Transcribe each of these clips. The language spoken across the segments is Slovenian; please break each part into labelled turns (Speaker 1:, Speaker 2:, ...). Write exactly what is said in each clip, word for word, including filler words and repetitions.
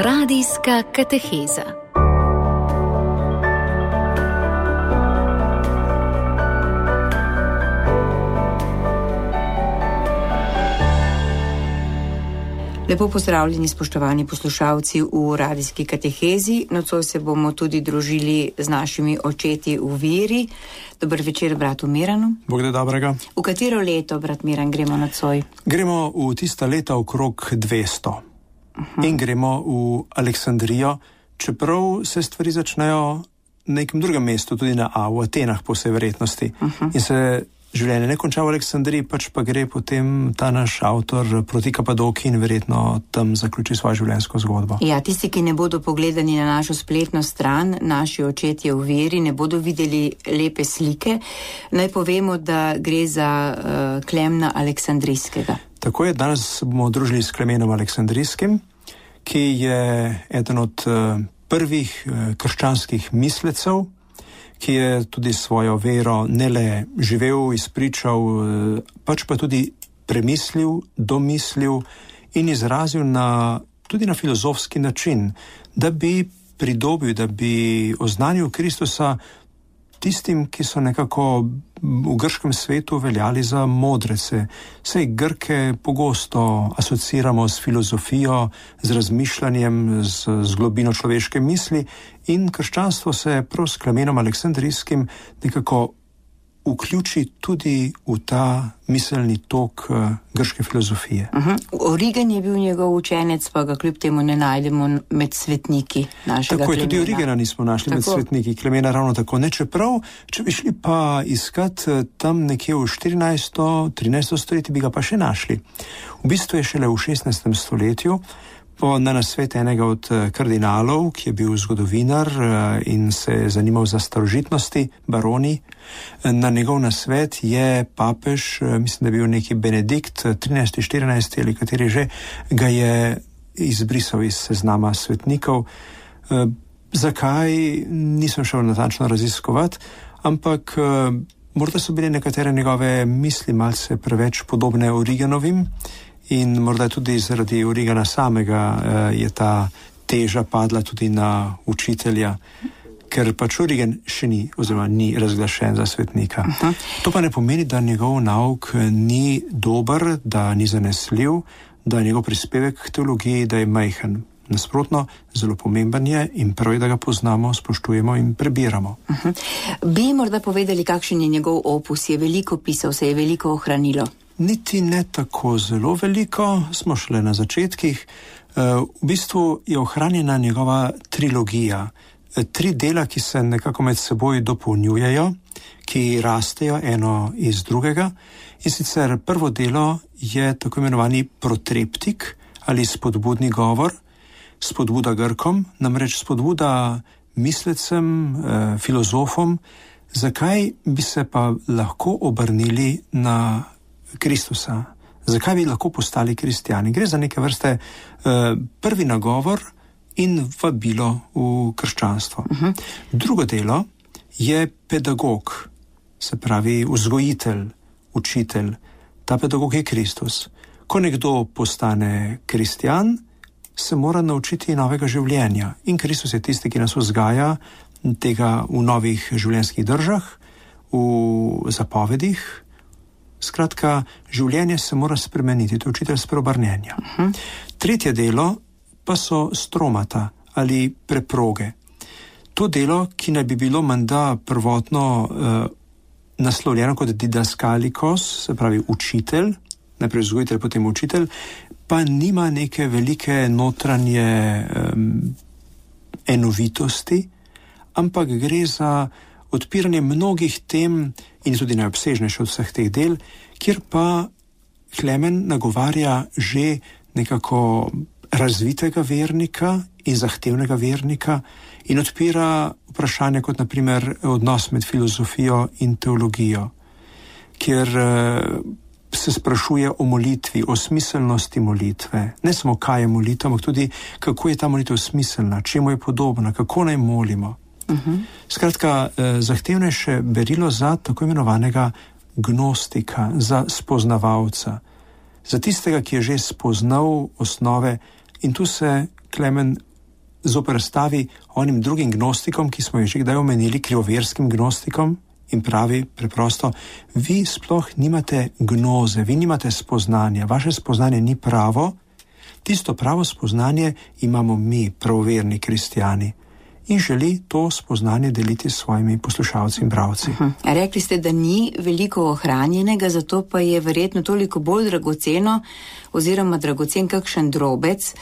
Speaker 1: Radijska kateheza. Lepo pozdravljeni, spoštovani poslušalci v radijski katehezi. Nocoj se bomo tudi družili z našimi očeti v veri. Dober večer, bratu Miranu.
Speaker 2: Bog da dobrega.
Speaker 1: V katero leto, brat Miran, gremo nocoj?
Speaker 2: Gremo v tista leta okrog dvesto. Uh-huh. In gremo v Aleksandrijo, čeprav se stvari začnejo na nekem drugem mestu, tudi na A, v Atenah po vsej verjetnosti. Uh-huh. In se življenje ne konča v Aleksandriji, pač pa gre potem ta naš avtor proti Kapadoki in verjetno tam zaključi svojo življenjsko zgodbo.
Speaker 1: Ja, tisti, ki ne bodo pogledali na našo spletno stran, naši očetje v veri, ne bodo videli lepe slike, naj povemo, da gre za uh, Klemna Aleksandrijskega.
Speaker 2: Tako je, danes se bomo družili s Klemenom Aleksandrijskim, ki je eden od uh, prvih uh, krščanskih mislecev, ki je tudi svojo vero ne le živel, izpričal, pač pa tudi premislil, domislil in izrazil na, tudi na filozofski način, da bi pridobil, da bi oznanil Kristusa tistim, ki so nekako v grškem svetu veljali za modrece. Sej Grke pogosto asociramo s filozofijo, z razmišljanjem, z, z globino človeške misli in krščanstvo se prav s Klemenom Aleksandrijskim nekako vključi tudi v ta miselni tok uh, grške filozofije.
Speaker 1: Uh-huh. Origen je bil njegov učenec, pa ga kljub temu ne najdemo med svetniki našega
Speaker 2: tako
Speaker 1: Klemena.
Speaker 2: Tako je, tudi Origena nismo našli tako med svetniki, Klemena ravno tako ne, čeprav, če bi šli pa iskat tam nekje v štirinajsto trinajsto stoletje, bi ga pa še našli. V bistvu je šele v šestnajstem stoletju, po na nasvet enega od kardinalov, ki je bil zgodovinar in se je zanimal za starožitnosti, baroni, na njegov nasvet je papež, mislim, da je bil neki Benedikt, trinajsti, štirinajsti ali kateri že, ga je izbrisal iz seznama svetnikov. Zakaj, nisem šel natančno raziskovati, ampak morda so bile nekatere njegove misli malce preveč podobne Origenovim, in morda tudi zaradi Origena samega uh, je ta teža padla tudi na učitelja, ker pač Origen še ni, oziroma ni razglašen za svetnika. Uh-huh. To pa ne pomeni, da njegov nauk ni dober, da ni zanesljiv, da je njegov prispevek k teologiji, da je majhen. Nasprotno, zelo pomemben je in prav je, da ga poznamo, spoštujemo in prebiramo.
Speaker 1: Uh-huh. Bi morda povedali, kakšen je njegov opus? Je veliko pisal, se je veliko ohranilo?
Speaker 2: Niti ne tako zelo veliko, smo šele na začetkih. V bistvu je ohranjena njegova trilogija. Tri dela, ki se nekako med seboj dopolnjujejo, ki rastejo eno iz drugega. In sicer prvo delo je tako imenovani protreptik ali spodbudni govor, spodbuda Grkom, namreč spodbuda mislecem, filozofom, zakaj bi se pa lahko obrnili na Kristusa. Zakaj bi lahko postali kristjani? Gre za neke vrste uh, prvi nagovor in vabilo v krščanstvo. Uh-huh. Drugo delo je pedagog, se pravi vzgojitelj, učitelj. Ta pedagog je Kristus. Ko nekdo postane kristjan, se mora naučiti novega življenja. In Kristus je tisti, ki nas vzgaja tega v novih življenjskih držah, v zapovedih. Skratka, življenje se mora spremeniti, to je učitelj spreobrnjenja. Uh-huh. Tretje delo pa so stromata ali preproge. To delo, ki naj bi bilo menda prvotno uh, naslovljeno kot didaskalikos, se pravi učitelj, najprej vzgojitelj, potem učitelj, pa nima neke velike notranje um, enovitosti, ampak gre za odpiranje mnogih tem in tudi najobsežnejše od vseh teh del, kjer pa Klemen nagovarja že nekako razvitega vernika in zahtevnega vernika in odpira vprašanje kot naprimer odnos med filozofijo in teologijo, kjer se sprašuje o molitvi, o smiselnosti molitve. Ne samo kaj je molitev, ampak tudi kako je ta molitev smiselna, čemu je podobna, kako naj molimo. Uh-huh. Skratka, eh, zahtevnejše berilo za tako imenovanega gnostika, za spoznavalca, za tistega, ki je že spoznal osnove, in tu se Klemen zoperstavi onim drugim gnostikom, ki smo jih že kdaj omenili, krivoverskim gnostikom, in pravi preprosto, vi sploh nimate gnoze, vi nimate spoznanja, vaše spoznanje ni pravo, tisto pravo spoznanje imamo mi, pravoverni kristjani. In želi to spoznanje deliti s svojimi poslušalci in bravci.
Speaker 1: Uh-huh. Rekli ste, da ni veliko ohranjenega, zato pa je verjetno toliko bolj dragoceno oziroma dragocen kakšen drobec.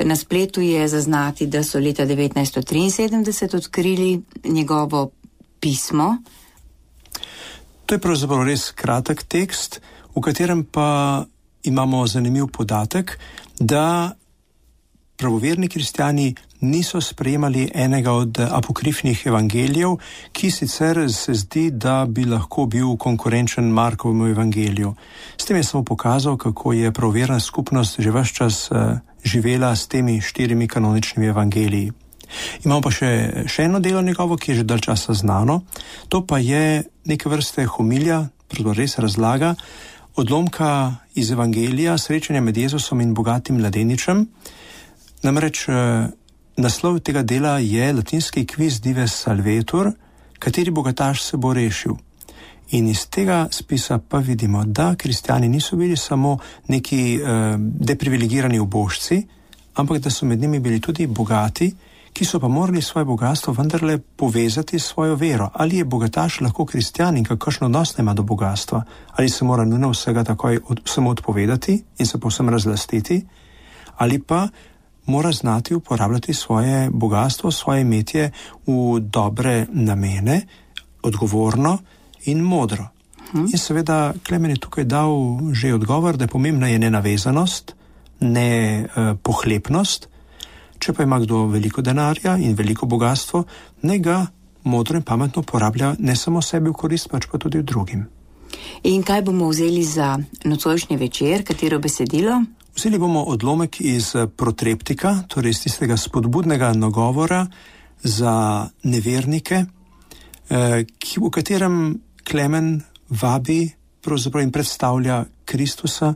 Speaker 1: Na spletu je zaznati, da so leta devetnajststo triinsedemdeset odkrili njegovo pismo.
Speaker 2: To je pravzaprav res kratek tekst, v katerem pa imamo zanimiv podatek, da pravoverni kristjani niso sprejemali enega od apokrifnih evangelijev, ki sicer se zdi, da bi lahko bil konkurenčen Markovemu evangeliju. S tem je samo pokazal, kako je pravoverna skupnost že ves čas uh, živela s temi štirimi kanoničnimi evangeliji. Imamo pa še, še eno delo njegovo, ki je že dalj časa znano. To pa je neke vrste homilija, pravzaprav res razlaga, odlomka iz evangelija, srečanja med Jezusom in bogatim mladeničem. Namreč naslov tega dela je latinski Quis dives salvetur, kateri bogataš se bo rešil. In iz tega spisa pa vidimo, da kristjani niso bili samo neki eh, deprivilegirani ubožci, ampak da so med njimi bili tudi bogati, ki so pa morali svoje bogatstvo vendarle povezati s svojo vero. Ali je bogataš lahko kristjan in kakšen odnos ima do bogatstva? Ali se mora nujno vsega takoj od, samo odpovedati in se povsem razlastiti? Ali pa mora znati uporabljati svoje bogatstvo, svoje imetje v dobre namene, odgovorno in modro. Hmm. In seveda Klemen je tukaj dal že odgovor, da je pomembna je nenavezanost, ne eh, pohlepnost. Če pa ima kdo veliko denarja in veliko bogatstvo, ne ga modro in pametno porablja ne samo sebi v korist, pač pa tudi v drugim.
Speaker 1: In kaj bomo vzeli za nocojšnji večer, katero besedilo?
Speaker 2: Vzeli bomo odlomek iz Protreptika, torej iz tistega spodbudnega nagovora za nevernike, eh, ki, v katerem Klemen vabi pravzaprav in predstavlja Kristusa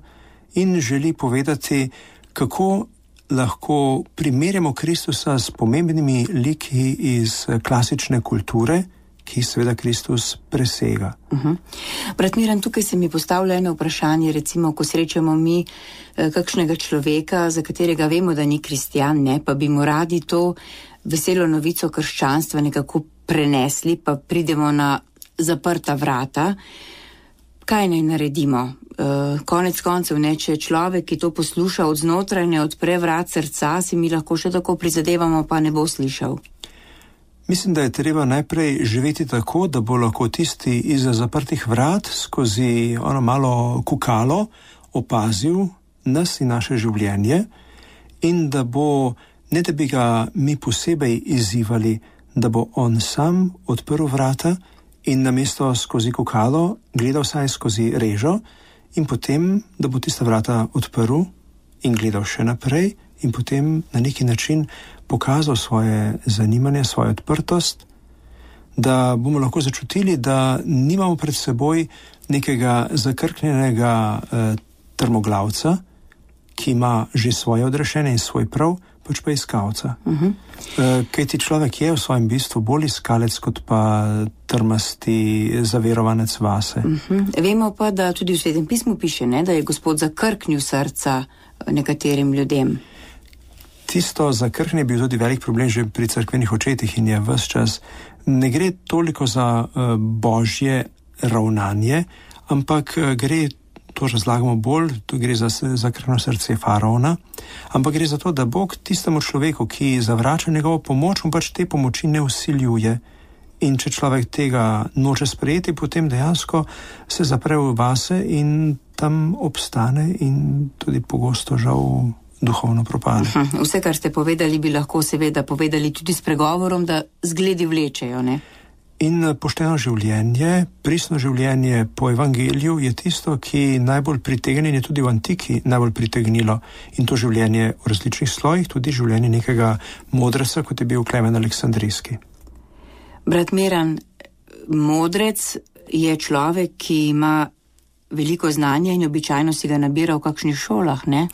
Speaker 2: in želi povedati, kako lahko primerjamo Kristusa s pomembnimi liki iz klasične kulture, ki seveda Kristus presega.
Speaker 1: Uh-huh. Brat Miran, tukaj se mi postavlja eno vprašanje, recimo, ko srečamo mi eh, kakšnega človeka, za katerega vemo, da ni kristjan, ne, pa bi mu radi to veselo novico krščanstva nekako prenesli, pa pridemo na zaprta vrata. Kaj naj naredimo? Uh, konec koncev, ne, če človek, ki to posluša od znotraj, ne odpre vrat srca, si mi lahko še tako prizadevamo, pa ne bo slišal.
Speaker 2: Mislim, da je treba najprej živeti tako, da bo lahko tisti izza zaprtih vrat skozi ono malo kukalo opazil nas in naše življenje in da bo, ne da bi ga mi posebej izzivali, da bo on sam odprl vrata in namesto skozi kukalo gledal vsaj skozi režo in potem, da bo tista vrata odprl in gledal še naprej in potem na neki način pokazal svoje zanimanje, svojo odprtost, da bomo lahko začutili, da nimamo pred seboj nekega zakrknjenega eh, trmoglavca, ki ima že svoje odrešenje in svoj prav, pač pa iskalca. Uh-huh. Eh, kajti človek je v svojem bistvu bolj iskalec, kot pa trmasti zaverovanec vase.
Speaker 1: Uh-huh. Vemo pa, da tudi v Svetem pismu piše, ne, da je Gospod zakrknil srca nekaterim ljudem.
Speaker 2: Tisto zakrhnje je bil tudi velik problem že pri cerkvenih očetih in je ves čas. Ne gre toliko za uh, božje ravnanje, ampak uh, gre, to razlagamo bolj, to gre za zakrhno srce faraona, ampak gre za to, da Bog tistemu človeku, ki zavrača njegovo pomoč, mu pač te pomoči ne vsiljuje. In če človek tega noče sprejeti, potem dejansko se zapre v vase in tam obstane in tudi pogosto žal duhovno propade.
Speaker 1: Uh-huh. Vse, kar ste povedali, bi lahko seveda povedali tudi s pregovorom, da zgledi vlečejo, ne?
Speaker 2: In pošteno življenje, pristno življenje po evangeliju je tisto, ki najbolj pritegne, je tudi v antiki najbolj pritegnilo. In to življenje v različnih slojih, tudi življenje nekega modreca, kot je bil Klemen Aleksandrijski.
Speaker 1: Brat Miran, modrec je človek, ki ima veliko znanja in običajno si ga nabira v kakšnih šolah, ne?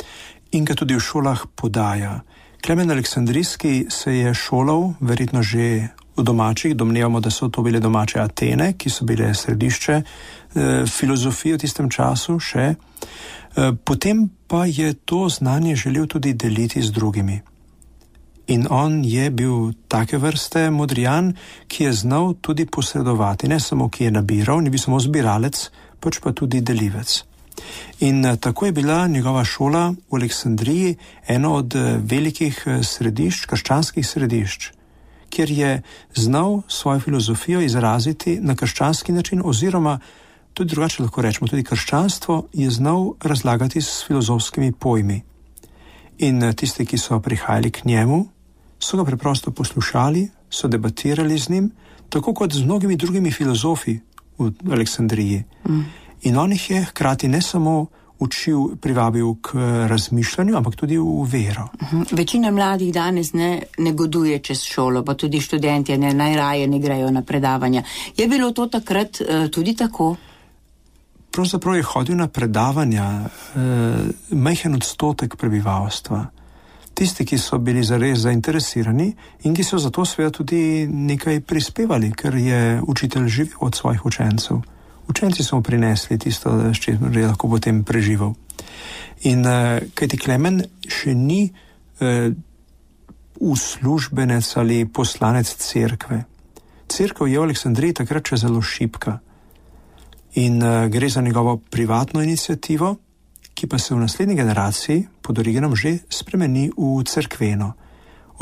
Speaker 2: In ga tudi v šolah podaja. Klemen Aleksandrijski se je šolal verjetno že v domačih, domnevamo, da so to bile domače Atene, ki so bile središče eh, filozofije v tistem času še. Eh, potem pa je to znanje želel tudi deliti z drugimi. In on je bil take vrste modrijan, ki je znal tudi posredovati, ne samo ki je nabiral, ni bil samo zbiralec, pač pa tudi delivec. In tako je bila njegova šola v Aleksandriji eno od velikih središč, krščanskih središč, kjer je znal svojo filozofijo izraziti na krščanski način, oziroma tudi drugače lahko rečemo, tudi krščanstvo je znal razlagati s filozofskimi pojmi. In tisti, ki so prihajali k njemu, so ga preprosto poslušali, so debatirali z njim, tako kot z mnogimi drugimi filozofi v Aleksandriji. Mm. In on jih je hkrati ne samo učil, privabil k razmišljanju, ampak tudi v vero.
Speaker 1: Uh-huh. Večina mladih danes ne negoduje čez šolo, pa tudi študentje ne, najraje ne grejo na predavanja. Je bilo to takrat uh, tudi tako?
Speaker 2: Pravzaprav je hodil na predavanja uh, majhen odstotek prebivalstva. Tisti, ki so bili zares zainteresirani in ki so zato seveda tudi nekaj prispevali, ker je učitelj živel od svojih učencev. Učenci so mu prinesli tisto, s čimer je lahko potem preživel. In uh, kajti Klemen še ni uh, uslužbenec ali poslanec cerkve. Cerkev je v Aleksandriji takrat še zelo šibka. In uh, gre za njegovo privatno inicijativo, ki pa se v naslednji generaciji pod Origenom že spremeni v cerkveno.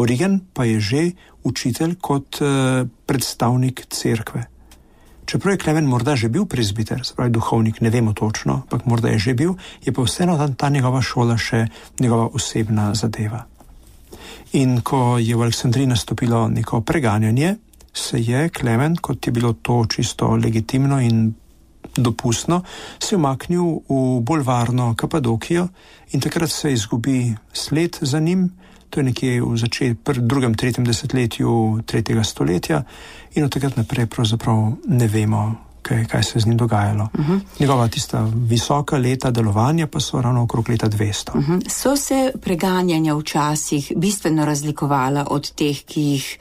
Speaker 2: Origen pa je že učitelj kot uh, predstavnik cerkve. Čeprav je Klemen morda že bil prezbiter, se pravi duhovnik, ne vemo točno, ampak morda je že bil, je pa vseeno ta, ta njegova šola še njegova osebna zadeva. In ko je v Aleksandriji nastopilo neko preganjanje, se je Klemen, kot je bilo to čisto legitimno in dopustno, se umaknil v bolj varno Kapadokijo in takrat se izgubi sled za njim. To je nekje v začetku, drugem, tretjem desetletju tretjega stoletja in od takrat naprej pravzaprav ne vemo, kaj, kaj se z njim dogajalo. Uh-huh. Njegova tista visoka leta delovanja pa so ravno okrog leta dvesto.
Speaker 1: Uh-huh. So se preganjanja včasih bistveno razlikovala od teh, ki jih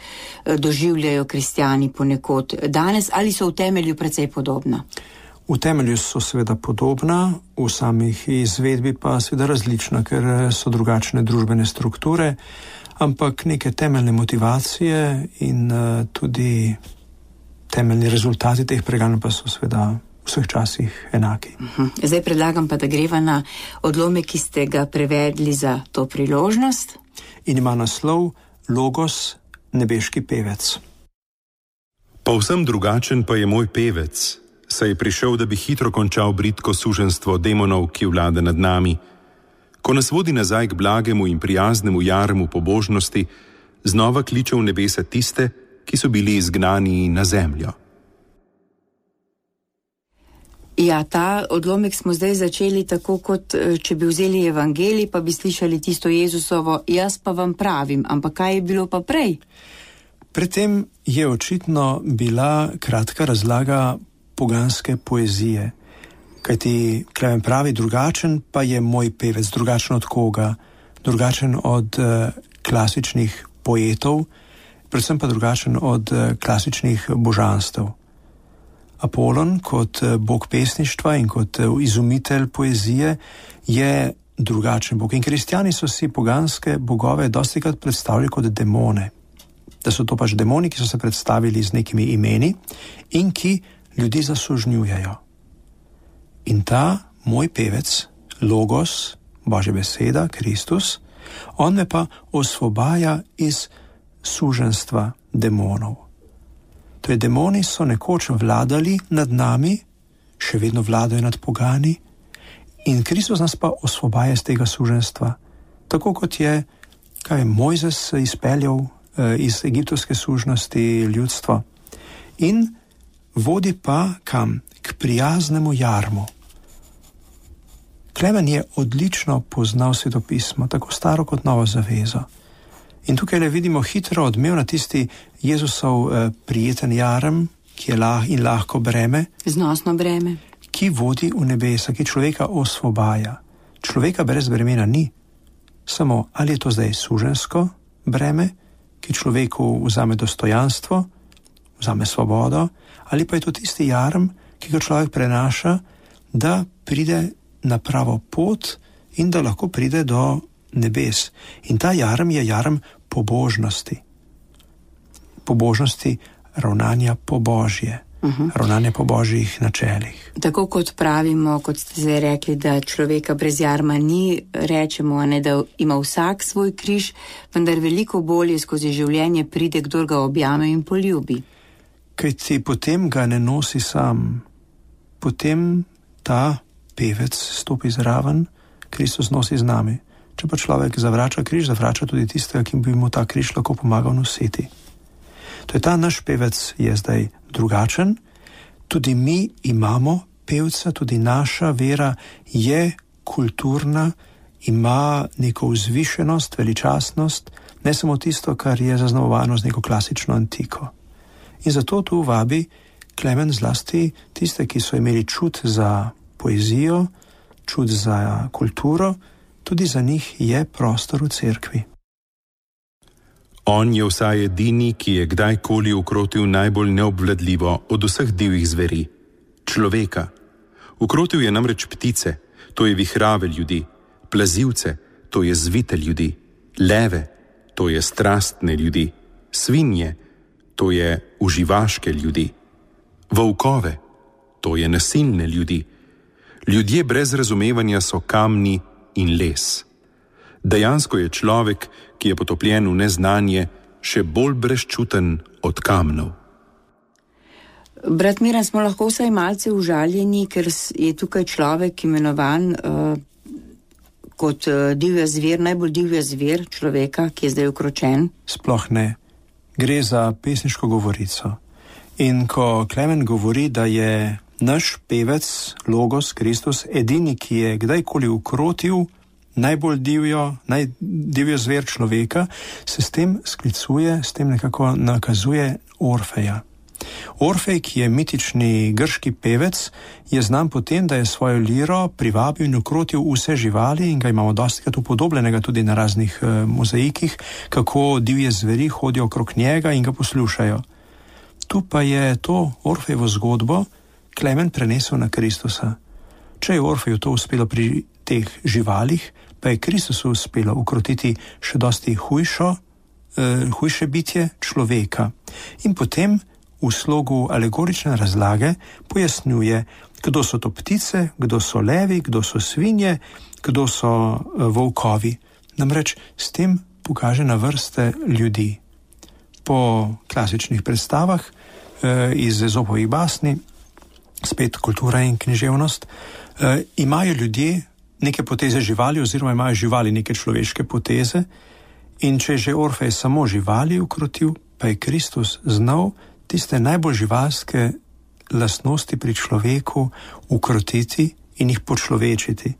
Speaker 1: doživljajo kristjani ponekod danes, ali so v temelju precej podobna?
Speaker 2: V temelju so seveda podobna, v samih izvedbi pa seveda različna, ker so drugačne družbene strukture, ampak neke temeljne motivacije in uh, tudi temeljni rezultati teh preganj pa so seveda v vseh časih enaki.
Speaker 1: Uh-huh. Zdaj predlagam pa, da greva na odlomek, ki ste ga prevedli za to priložnost.
Speaker 2: In ima naslov Logos, nebeški pevec.
Speaker 3: Povsem drugačen pa je moj pevec, saj je prišel, da bi hitro končal bridko suženstvo demonov, ki vlada nad nami. Ko nas vodi nazaj k blagemu in prijaznemu jarmu pobožnosti, znova kliče v nebesa tiste, ki so bili izgnani na zemljo.
Speaker 1: Ja, ta odlomek smo zdaj začeli tako, kot če bi vzeli evangelij, pa bi slišali tisto Jezusovo, jaz pa vam pravim, ampak kaj je bilo pa prej?
Speaker 2: Predtem je očitno bila kratka razlaga poganske poezije, kajti Klemen pravi, drugačen pa je moj pevec, drugačen od koga, drugačen od uh, klasičnih poetov, predvsem pa drugačen od uh, klasičnih božanstev. Apolon kot uh, bog pesništva in kot uh, izumitelj poezije je drugačen bog. In kristjani so si poganske bogove dostikrat predstavljali kot demone, da so to pač demoni, ki so se predstavili z nekimi imeni in ki ljudi zasužnjujejo. In ta moj pevec, Logos, Božja beseda, Kristus, on me pa osvobaja iz suženstva demonov. To je, demoni so nekoč vladali nad nami, še vedno vladajo nad pogani, in Kristus nas pa osvobaja iz tega suženstva. Tako kot je, kaj je Mojzes izpeljal eh, iz egiptovske sužnosti ljudstvo. In vodi pa kam? K prijaznemu jarmu. Klemen je odlično poznal svetopismo, tako staro kot novo zavezo. In tukaj le vidimo hitro odmev na tisti Jezusov eh, prijeten jarem, ki je lah in lahko breme,
Speaker 1: znosno breme,
Speaker 2: ki vodi v nebesa, ki človeka osvobaja. Človeka brez bremena ni. samo, ali je to zdaj suženjsko breme, ki človeku vzame dostojanstvo, vzame svobodo, ali pa je to tisti jarm, ki ga človek prenaša, da pride na pravo pot in da lahko pride do nebes. In ta jarm je jarm pobožnosti. Pobožnosti ravnanja po Božje. Uh-huh. Ravnanje po Božjih načelih.
Speaker 1: Tako kot pravimo, kot ste zdaj rekli, da človeka brez jarma ni, rečemo, ne, da ima vsak svoj križ, vendar veliko bolje skozi življenje pride, kdor ga objame in poljubi.
Speaker 2: Kajti potem ga ne nosi sam. Potem ta pevec stopi zraven, Kristus nosi z nami. Če pa človek zavrača križ, zavrača tudi tistega, ki bi mu ta križ lahko pomagal nositi. To je ta naš pevec je zdaj drugačen, tudi mi imamo pevca, tudi naša vera je kulturna, ima neko vzvišenost, veličastnost, ne samo tisto, kar je zaznamovano z neko klasično antiko. In zato tu vabi Klemen zlasti tiste, ki so imeli čut za poezijo, čut za kulturo, tudi za njih je prostor v cerkvi.
Speaker 3: On je vsaj edini, ki je kdajkoli ukrotil najbolj neobvladljivo od vseh divjih zveri, človeka. Ukrotil je namreč ptice, to je vihrave ljudi, plazivce, to je zvite ljudi, leve, to je strastne ljudi, svinje, to je uživaške ljudi, volkove, to je nasilne ljudi. Ljudje brez razumevanja so kamni in les. Dejansko je človek, ki je potopljen v neznanje, še bolj brezčuten od kamnov.
Speaker 1: Brat Miran, smo lahko vsaj malce užaljeni, ker je tukaj človek imenovan uh, kot uh, divja zver, najbolj divja zver človeka, ki je zdaj ukročen.
Speaker 2: Sploh ne. Gre za pesniško govorico. In ko Klemen govori, da je naš pevec, Logos, Kristus, edini, ki je kdajkoli ukrotil najbolj divjo, najdivjo zver človeka, se s tem sklicuje, s tem nekako nakazuje Orfeja. Orfej, ki je mitični grški pevec, je znan po tem, da je svojo liro privabil in ukrotil vse živali in ga imamo dostikrat upodobljenega tudi na raznih uh, mozaikih, kako divje zveri hodijo okrog njega in ga poslušajo. Tu pa je to Orfejevo zgodbo Klemen prenesel na Kristusa. Če je Orfeju to uspelo pri teh živalih, pa je Kristusu uspelo ukrotiti še dosti hujšo, uh, hujše bitje človeka. In potem v slogu alegorične razlage pojasnjuje, kdo so to ptice, kdo so levi, kdo so svinje, kdo so uh, volkovi. Namreč s tem pokaže na vrste ljudi. Po klasičnih predstavah uh, iz Ezopovih basni, spet kultura in književnost, uh, imajo ljudje neke poteze živali oziroma imajo živali neke človeške poteze in če je že Orfej samo živali ukrotil, pa je Kristus znal tiste najbolj živalske lastnosti pri človeku ukrotiti in jih počlovečiti.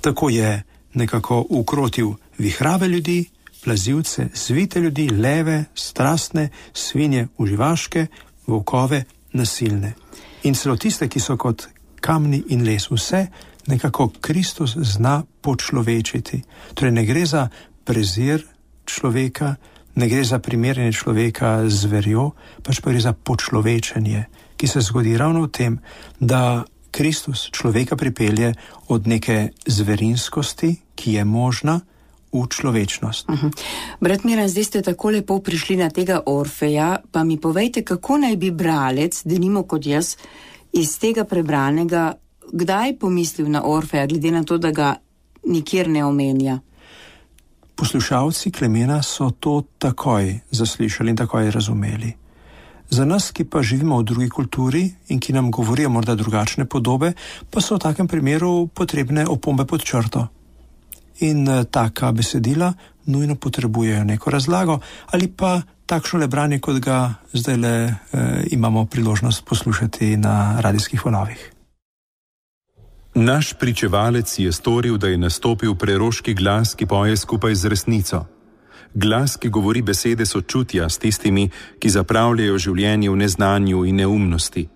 Speaker 2: Tako je nekako ukrotil vihrave ljudi, plazivce, zvite ljudi, leve, strastne, svinje, uživaške, volkove, nasilne. In celo tiste, ki so kot kamni in les, vse nekako Kristus zna počlovečiti. Torej ne gre za prezir človeka, ne gre za primerjanje človeka z zverjo, pač pa gre za počlovečenje, ki se zgodi ravno v tem, da Kristus človeka pripelje od neke zverinskosti, ki je možna, v človečnost.
Speaker 1: Uh-huh. Brat Miran, zdaj ste tako lepo prišli na tega Orfeja, pa mi povejte, kako naj bi bralec, denimo kot jaz, iz tega prebranega, kdaj pomislil na Orfeja, glede na to, da ga nikjer ne omenja?
Speaker 2: Poslušalci Klemena so to takoj zaslišali in takoj razumeli. Za nas, ki pa živimo v drugi kulturi in ki nam govorijo morda drugačne podobe, pa so v takem primeru potrebne opombe pod črto. In taka besedila nujno potrebujejo neko razlago ali pa takšno le branje, kot ga zdaj le eh, imamo priložnost poslušati na radijskih valovih.
Speaker 3: Naš pričevalec je storil, da je nastopil preroški glas, ki poje skupaj z resnico. Glas, ki govori besede sočutja s tistimi, ki zapravljajo življenje v neznanju in neumnosti.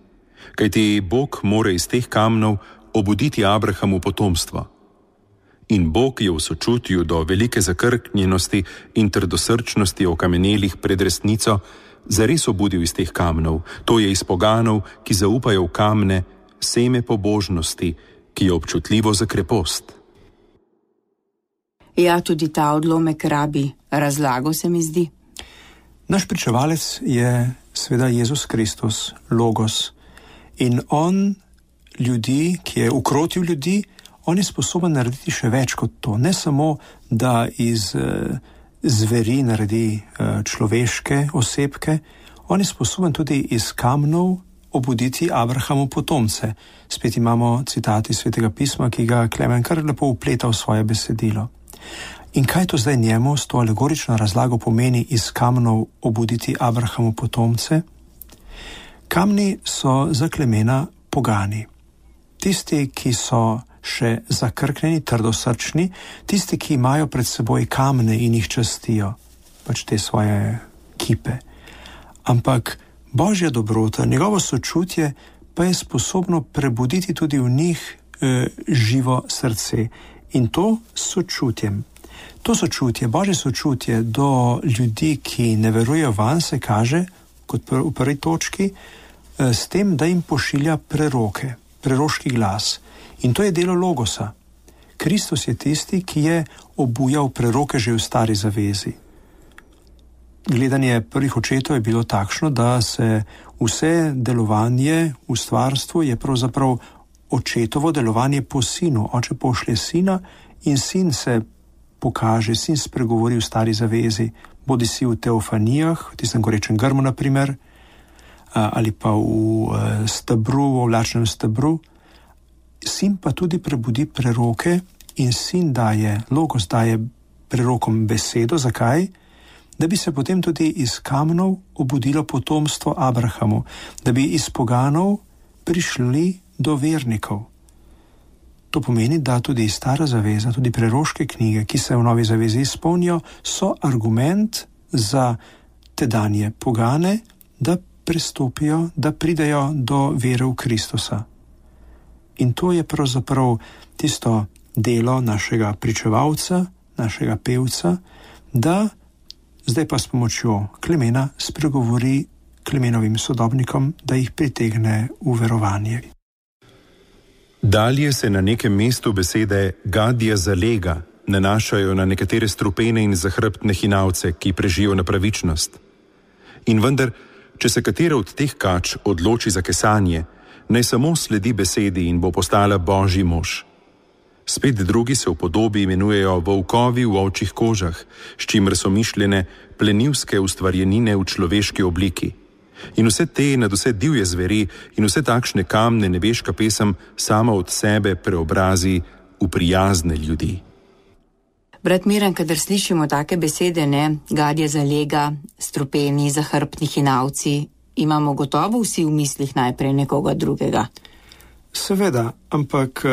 Speaker 3: Kajti Bog mora iz teh kamnov obuditi Abrahamu potomstvo. In Bog je v sočutju do velike zakrknjenosti in trdosrčnosti okamenelih pred resnico zares obudil iz teh kamnov, to je iz poganov, ki zaupajo v kamne, seme pobožnosti, ki je občutljivo za krepost.
Speaker 1: Ja, tudi ta odlomek rabi razlago, se mi zdi.
Speaker 2: Naš pričevalec je seveda Jezus Kristus, Logos. In on ljudi, ki je ukrotil ljudi, on je sposoben narediti še več kot to. Ne samo, da iz uh, zveri naredi uh, človeške osebke, on je sposoben tudi iz kamnov obuditi Abrahamu potomce. Spet imamo citati Svetega pisma, ki ga Klemen kar lepo upleta v svoje besedilo. In kaj to zdaj njemu s to alegorično razlago pomeni iz kamnov obuditi Abrahamu potomce? Kamni so za Klemena pogani. Tisti, ki so še zakrknjeni, trdosrčni, tisti, ki imajo pred seboj kamne in jih častijo, pač te svoje kipe. Ampak Božja dobrota, njegovo sočutje pa je sposobno prebuditi tudi v njih e, živo srce. In to sočutjem. To sočutje, Božje sočutje do ljudi, ki ne verujejo vanj, se kaže, kot pr- v prvi točki, e, s tem, da jim pošilja preroke, preroški glas. In to je delo Logosa. Kristus je tisti, ki je obujal preroke že v stari zavezi. Gledanje prvih očetov je bilo takšno, da se vse delovanje v stvarstvu je pravzaprav očetovo delovanje po sinu. Oče pošlje sina in sin se pokaže, sin spregovori v stari zavezi, bodi si v teofanijah, v tistem gorečem grmu naprimer, ali pa v stebru, v ovlačnem stebru. Sin pa tudi prebudi preroke in sin daje, Logos daje prerokom besedo. Zakaj? Da bi se potem tudi iz kamnov obudilo potomstvo Abrahamu, da bi iz poganov prišli do vernikov. To pomeni, da tudi stara zaveza, tudi preroške knjige, ki se v novi zavezi izpolnijo, so argument za tedanje pogane, da prestopijo, da pridejo do vere v Kristusa. In to je pravzaprav tisto delo našega pričevalca, našega pevca, da zdaj pa s pomočjo Klemena spregovori Klemenovim sodobnikom, da jih pritegne v verovanje.
Speaker 3: Dalje se na nekem mestu besede gadja zalega nanašajo na nekatere strupene in zahrbtne hinavce, ki prežijo na pravičnost. In vendar, če se katera od teh kač odloči za kesanje, naj samo sledi besedi in bo postala Božji mož. Spet drugi se v podobi imenujejo volkovi v ovčjih kožah, s čimer so mišljene plenilske ustvarjenine v človeški obliki. In vse te nadvse divje zveri in vse takšne kamne nebeška pesem sama od sebe preobrazi v prijazne ljudi.
Speaker 1: Brat Miran, kadar slišimo take besede, ne, gadje zalega, strupeni, zahrbtni hinavci, imamo gotovo vsi v mislih najprej nekoga drugega.
Speaker 2: Seveda, ampak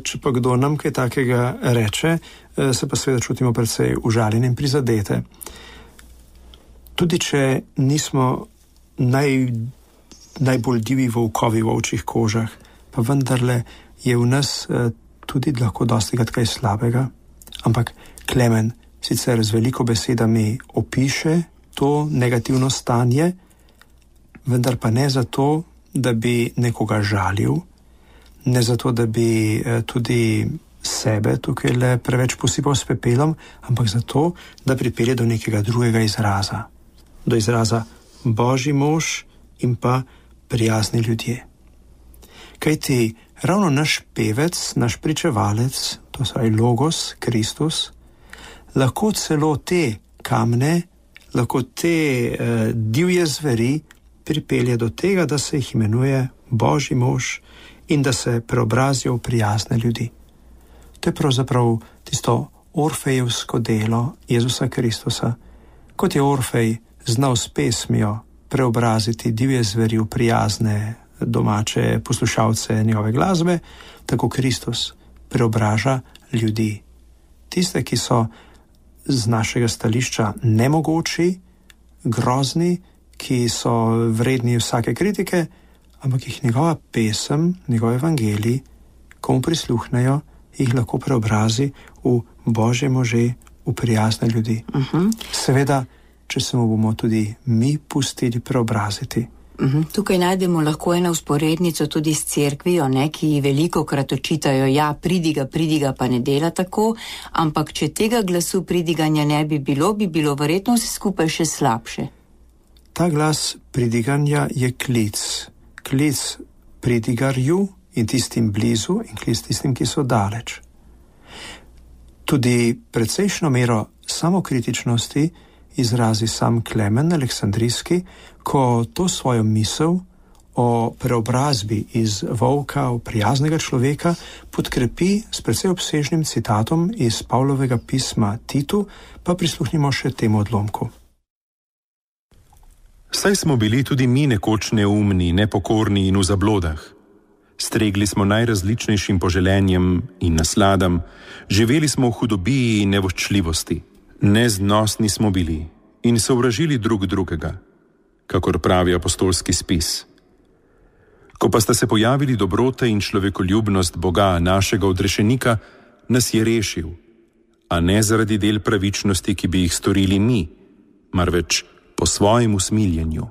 Speaker 2: če pa kdo nam kaj takega reče, se pa seveda čutimo precej užaljeni in prizadete. Tudi če nismo naj, najbolj divi volkovi v ovčjih kožah, pa vendarle je v nas tudi lahko dostikrat kaj slabega. Ampak Klemen sicer z veliko besedami opiše to negativno stanje, vendar pa ne zato, da bi nekoga žalil, ne zato, da bi tudi sebe tukaj le preveč posipal s pepelom, ampak zato, da pripelje do nekega drugega izraza. Do izraza Božji mož in pa prijazni ljudje. Kajti ravno naš pevec, naš pričevalec, to je Logos, Kristus, lahko celo te kamne, lahko te eh, divje zveri pripelje do tega, da se jih imenuje Božji mož in da se preobrazijo v prijazne ljudi. To je pravzaprav tisto orfejevsko delo Jezusa Kristusa. Kot je Orfej znal s pesmijo preobraziti divje zveri v prijazne domače poslušalce njegove glasbe, tako Kristus preobraža ljudi. Tiste, ki so z našega stališča nemogoči, grozni, ki so vredni vsake kritike, ampak jih njegova pesem, njegov evangelij, komu prisluhnejo, jih lahko preobrazi v Božje može, v prijazne ljudi. Uh-huh. Seveda, če se mu bomo tudi mi pustili preobraziti.
Speaker 1: Uh-huh. Tukaj najdemo lahko eno vzporednico tudi s cerkvijo, ne, ki veliko krat očitajo, ja, pridiga, pridiga pa ne dela tako, ampak če tega glasu pridiganja ne bi bilo, bi bilo verjetno vse skupaj še slabše.
Speaker 2: Ta glas pridiganja je klic. Klic pridigarju in tistim blizu in klic tistim, ki so daleč. Tudi precejšno mero samokritičnosti izrazi sam Klemen Aleksandrijski, ko to svojo misel o preobrazbi iz volka v prijaznega človeka podkrepi s precej obsežnim citatom iz Pavlovega pisma Titu, pa prisluhnimo še temu odlomku.
Speaker 3: Saj smo bili tudi mi nekoč neumni, nepokorni in v zablodah. Stregli smo najrazličnejšim poželenjem in nasladam, živeli smo v hudobiji in nevoščljivosti. Neznosni smo bili in sovražili drug drugega, kakor pravi apostolski spis. Ko pa sta se pojavili dobrote in človekoljubnost Boga, našega odrešenika, nas je rešil, a ne zaradi del pravičnosti, ki bi jih storili mi, marveč po svojem usmiljenju.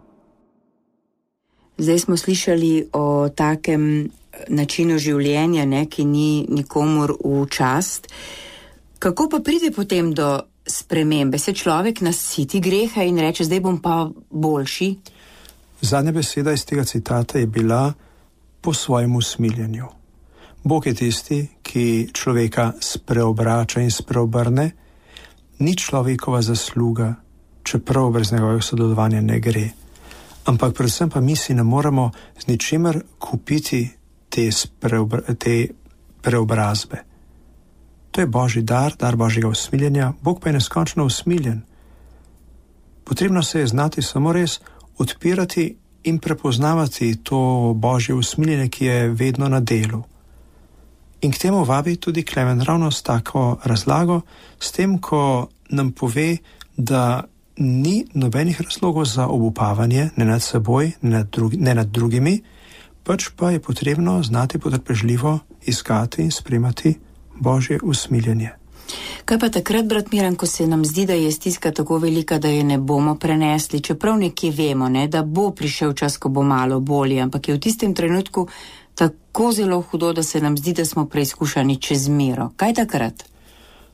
Speaker 1: Zdaj smo slišali o takem načinu življenja, ne, ki ni nikomur v čast. Kako pa pride potem do spremembe? Se človek nasiti greha in reče, zdaj bom pa boljši?
Speaker 2: Zadnja beseda iz tega citata je bila po svojem usmiljenju. Bog je tisti, ki človeka spreobrača in spreobrne. Ni človekova zasluga, čeprav brez njegovega sodelovanja ne gre. Ampak predvsem pa mi si ne moremo z ničemer kupiti te, spreobra, te preobrazbe. To je Božji dar, dar Božjega usmiljenja, Bog pa je neskončno usmiljen. Potrebno se je znati samo res odpirati in prepoznavati to Božje usmiljenje, ki je vedno na delu. In k temu vabi tudi Klemen ravno s tako razlago, s tem, ko nam pove, da ni nobenih razlogov za obupavanje, ne nad seboj, ne nad, drugi, ne nad drugimi, pač pa je potrebno znati potrpežljivo iskati in spremati Božje usmiljenje.
Speaker 1: Kaj pa takrat, brat Miran, ko se nam zdi, da je stiska tako velika, da je ne bomo prenesli, čeprav nekje vemo, ne, da bo prišel čas, ko bo malo bolje, ampak je v tistem trenutku tako zelo hudo, da se nam zdi, da smo preizkušani čez mero. Kaj takrat?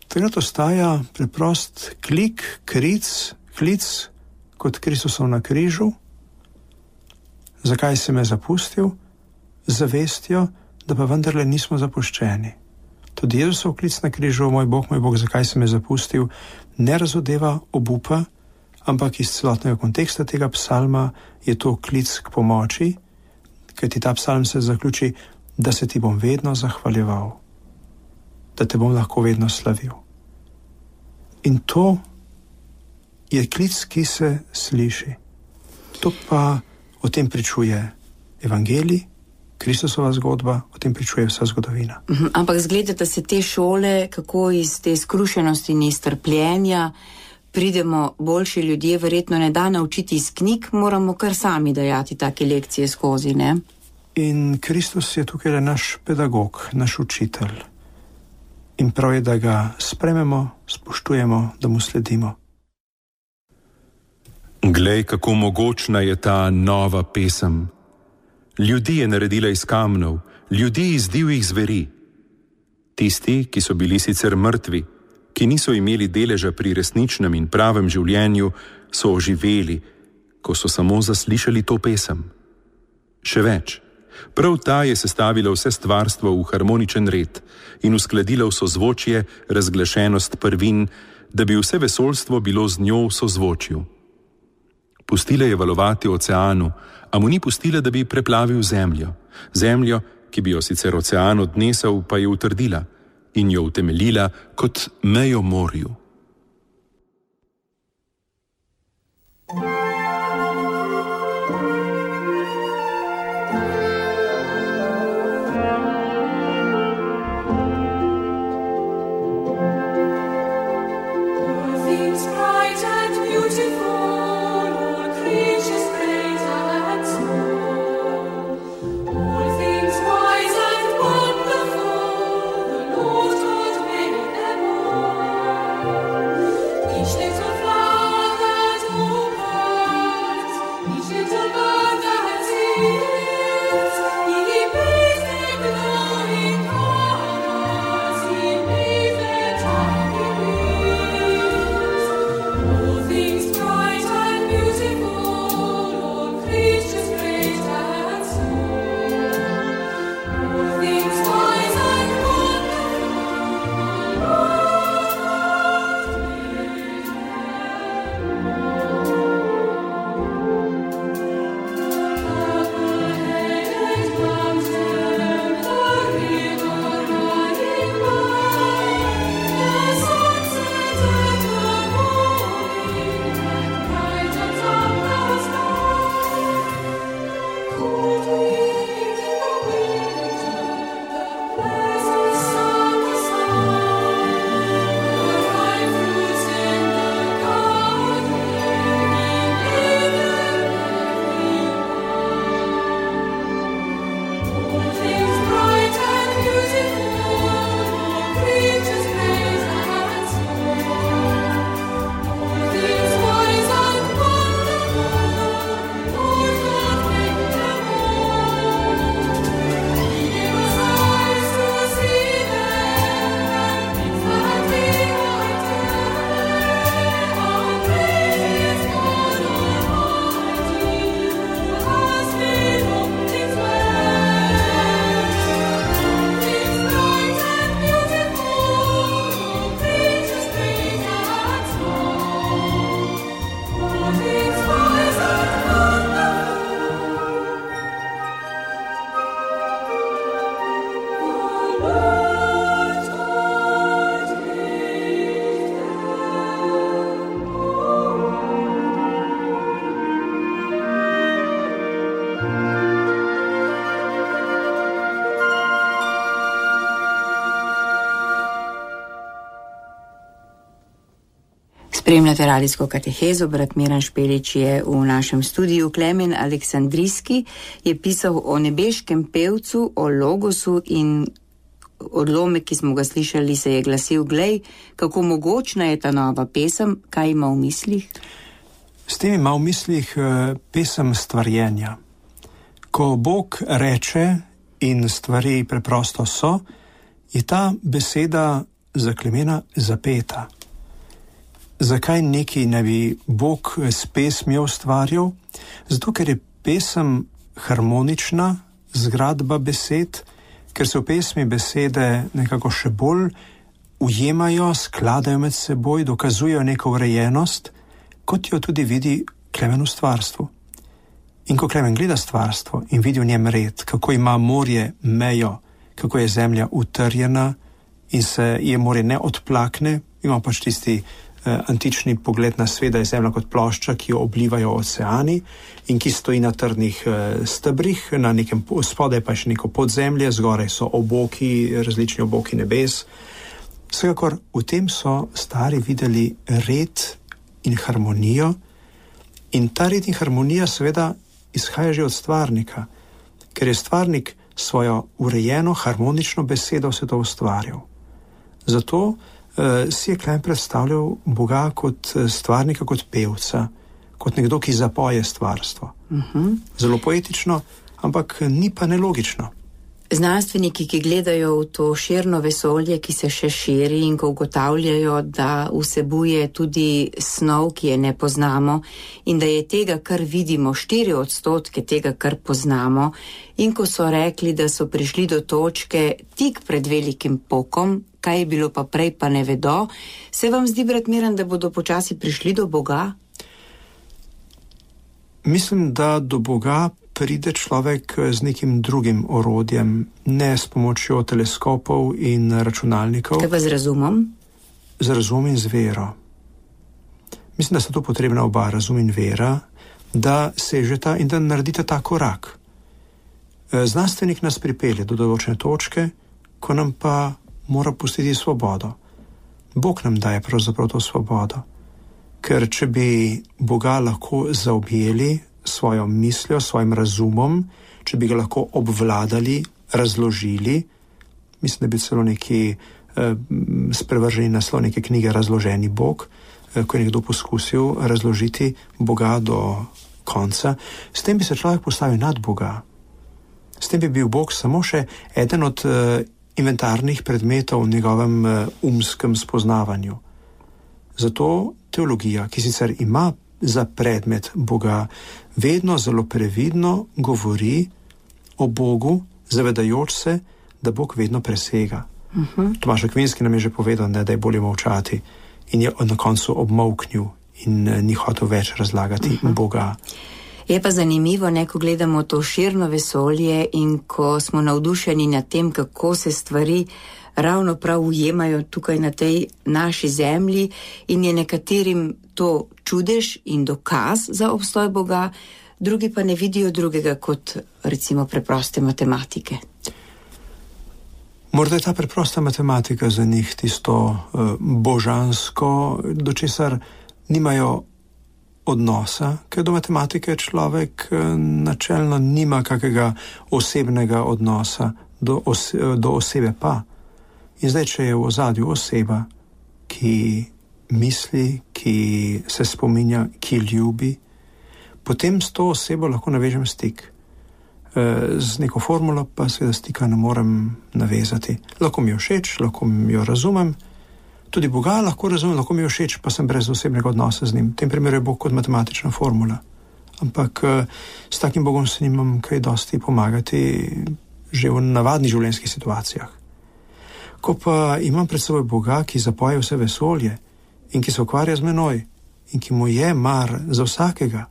Speaker 2: Takrat ostaja preprost klik, kric, klic kot Kristusov na križu. Zakaj si me zapustil? Zavestjo, da pa vendarle nismo zapuščeni. Tudi Jezusov klic na križu, moj Bog, moj Bog, zakaj si me zapustil, ne razodeva obupa, ampak iz celotnega konteksta tega psalma je to klic k pomoči, kajti ta psalm se zaključi, da se ti bom vedno zahvaljeval, da te bom lahko vedno slavil. In to je klic, ki se sliši. To pa o tem pričuje evangelij, Kristusova zgodba, o tem pričuje vsa zgodovina.
Speaker 1: Uh-huh. Ampak zgledate se te šole, kako iz te skrušenosti in iz trpljenja pridemo boljši ljudje, verjetno ne da naučiti iz knjig, moramo kar sami dajati take lekcije skozi, ne?
Speaker 2: In Kristus je tukaj naš pedagog, naš učitelj. In prav je, da ga sprememo, spoštujemo, da mu sledimo.
Speaker 3: Glej, kako mogočna je ta nova pesem. Ljudi je naredila iz kamnov, ljudi iz divjih zveri. Tisti, ki so bili sicer mrtvi, ki niso imeli deleža pri resničnem in pravem življenju, so oživeli, ko so samo zaslišali to pesem. Še več, prav ta je sestavila vse stvarstvo v harmoničen red in uskladila v sozvočje razglašenost prvin, da bi vse vesoljstvo bilo z njo v sozvočju. Pustila je valovati oceanu, a mu ni pustila, da bi preplavil zemljo. Zemljo, ki bi jo sicer ocean odnesel, pa je utrdila in jo utemeljila kot mejo morju.
Speaker 4: All things wise and wonderful, the Lord
Speaker 1: Spremljate radijsko katehezo, brat Miran Špelič je v našem studiu. Klemen Aleksandrijski je pisal o nebeškem pevcu, o logosu in odlomek, ki smo ga slišali, se je glasil: glej, kako mogočna je ta nova pesem, kaj ima v mislih?
Speaker 2: S tem ima v mislih pesem stvarjenja. Ko Bog reče in stvari preprosto so, je ta beseda za Klemena zapeta. Zakaj neki ne bi Bog s pesmijo ustvarjal? Zato, ker je pesem harmonična zgradba besed, ker se v pesmi besede nekako še bolj ujemajo, skladajo med seboj, dokazujejo neko urejenost, kot jo tudi vidi Klemen v stvarstvu. In ko Klemen gleda stvarstvo in vidi v njem red, kako ima morje mejo, kako je zemlja utrjena in se je morje ne odplakne, ima pač tisti antični pogled na svet, da je zemlja kot plošča, ki jo oblivajo oceani in ki stoji na trdnih stebrih, na nekem spodaj pa še neko podzemlje, zgoraj so oboki, različni oboki nebes. Vsekakor v tem so stari videli red in harmonijo, in ta red in harmonija seveda izhaja že od stvarnika, ker je stvarnik svojo urejeno, harmonično besedo vse to ustvarjal. Zato Uh, si je Klemen predstavljal Boga kot stvarnika, kot pevca, kot nekdo, ki zapoje stvarstvo. Uh-huh. Zelo poetično, ampak ni pa nelogično.
Speaker 1: Znanstveniki, ki gledajo v to širno vesolje, ki se še širi, in ko ugotavljajo, da vsebuje tudi snov, ki je ne poznamo, in da je tega, kar vidimo, štiri odstotke tega, kar poznamo, in ko so rekli, da so prišli do točke tik pred velikim pokom, kaj je bilo pa prej, pa ne vedo, se vam zdi, brat Miran, da bodo počasi prišli do Boga?
Speaker 2: Mislim, da do Boga pride človek z nekim drugim orodjem, ne s pomočjo teleskopov in računalnikov.
Speaker 1: Kaj pa z razumom?
Speaker 2: Z razum in z vero. Mislim, da sta tu potrebna oba, razum in vera, da sežeta in da naredite ta korak. Znanstvenik nas pripelje do določene točke, ko nam pa mora pustiti svobodo. Bog nam daje pravzaprav to svobodo. Ker če bi Boga lahko zaobjeli svojo misljo, svojim razumom, če bi ga lahko obvladali, razložili, mislim, da bi celo neki eh, sprevrženi naslov neke knjige Razloženi Bog, eh, ko je nekdo poskusil razložiti Boga do konca, s tem bi se človek postavil nad Boga. S tem bi bil Bog samo še eden od eh, inventarnih predmetov v njegovem uh, umskem spoznavanju. Zato teologija, ki sicer ima za predmet Boga, vedno zelo previdno govori o Bogu, zavedajoč se, da Bog vedno presega. Uh-huh. Tomaž Akvinski nam je že povedal, ne, da je bolje molčati, in je na koncu obmolknil in uh, ni hotel več razlagati uh-huh. Boga.
Speaker 1: Je pa zanimivo, ne, ko gledamo to širno vesolje in ko smo navdušeni nad tem, kako se stvari ravno prav ujemajo tukaj na tej naši zemlji, in je nekaterim to čudež in dokaz za obstoj Boga, drugi pa ne vidijo drugega kot recimo preproste matematike.
Speaker 2: Morda je ta preprosta matematika za njih tisto uh, božansko, do česar nimajo odnosa, ker do matematike človek načelno nima kakega osebnega odnosa, do, ose, do osebe pa. In zdaj, če je v ozadju oseba, ki misli, ki se spominja, ki ljubi, potem s to osebo lahko navežem stik. Z neko formulo pa seveda stika ne morem navezati. Lahko mi jo všeč, lahko mi jo razumem, tudi Boga lahko razumem, lahko mi je všeč, pa sem brez osebnega odnosa z njim. V tem primeru je Bog kot matematična formula. Ampak s takim Bogom se nimam kaj dosti pomagati že v navadnih življenjskih situacijah. Ko pa imam pred seboj Boga, ki zapoje vse vesolje in ki se ukvarja z menoj in ki mu je mar za vsakega,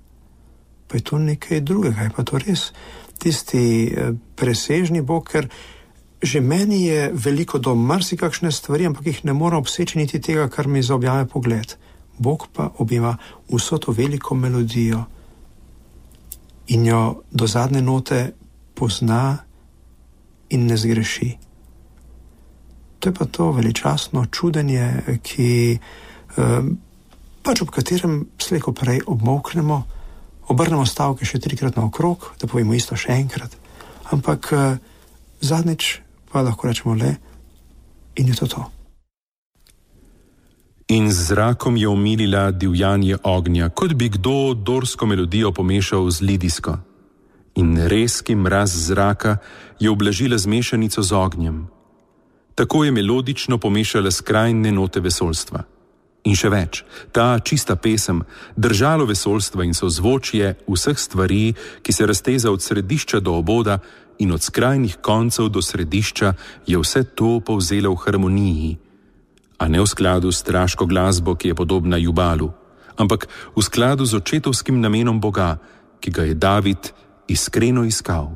Speaker 2: pa je to nekaj drugega. Je pa to res tisti presežni Bog, ker že meni je veliko do marsikakšne stvari, ampak jih ne morem obseči niti tega, kar mi zaobjame pogled. Bog pa objema vso to veliko melodijo in jo do zadnje note pozna in ne zgreši. To je pa to veličastno čudenje, ki eh, pač ob katerem slejko prej obmoknemo, obrnemo stavke še trikrat naokrog, da povemo isto še enkrat. Ampak uh, zadnjič pa lahko rečemo le in je to to.
Speaker 3: In z zrakom je omilila divjanje ognja, kot bi kdo dorsko melodijo pomešal z lidijsko. In rezki mraz zraka je ublažila z mešanico z ognjem. Tako je melodično pomešala skrajne note vesoljstva. In še več, ta čista pesem, držalo vesoljstva in sozvočje vseh stvari, ki se razteza od središča do oboda in od skrajnih koncev do središča, je vse to povzela v harmoniji, a ne v skladu s straško glasbo, ki je podobna jubalu, ampak v skladu z očetovskim namenom Boga, ki ga je David iskreno iskal.